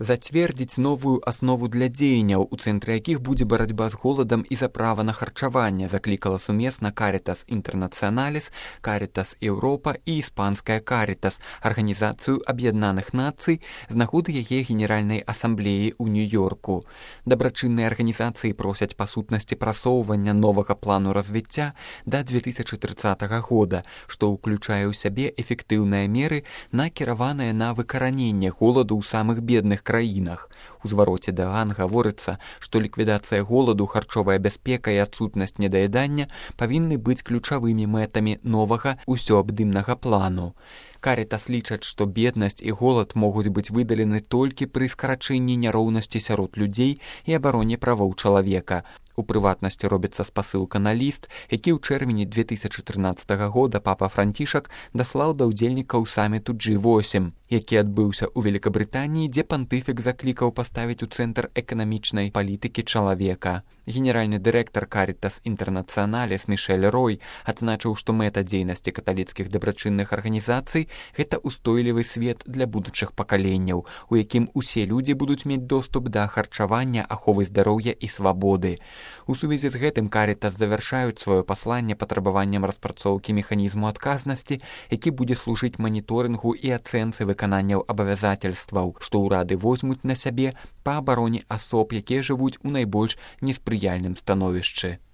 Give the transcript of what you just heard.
Зацвердзіць новую аснову для дзеянняў, у цэнтры якіх будзе барацьба з голадам і за права на харчаванне, заклікала сумесна Caritas Internationalis, Caritas Europa і іспанская Caritas, Арганізацыю Аб'яднаных Нацый, з нагоды яе генеральнай асамблеі ў Нью-Йорку. Дабрачынныя арганізацыі просяць па сутнасці прасоўвання новага плану развіцця да 2030 года, што ўключае ў сябе эфектыўныя меры, накіраваныя на выкараненне голаду ў самых бедных краінах. У звароце Дэан гаворыцца, што ліквідацыя голаду, харчовая бяспека і адсутнасць недаядання павінны быць ключавымі мэтамі новага усёабдымнага плану. Caritas лічаць, што беднасць і голад могуць быць выдалены толькі пры скарачэнні няроўнасці сярод людзей і абароне правоў чалавека. У прыватнасці робіцца спасылка на ліст, які ў чэрвені 2013 года папа Францішак даслаў да ўдзельнікаў саміту G8, які адбыўся ў Великабрытаніі, дзе пантыфік заклікаў паставіць у цэнтр эканамічнай палітыкі чалавека. Генеральны дырэктар Caritas Internationalis Мішэль Рой адзначыў, што мэта дзейнасці каталіцкіх дабрачынных арганізацый – гэта устойлівы свет для будучых пакаленняў, у якім усе людзі будуць мець доступ да харчавання, аховы здароўя і свабоды. У сувязі з гэтым Caritas завяршаюць сваё пасланне патрабаваннем распрацоўкі механізму адказнасці, які будзе служыць маніторынгу і ацэнцы выкананняў абавязательстваў, што ўрады возьмуць на сябе па абароне асоб, якія жывуць у найбольш неспрыяльным становішчы.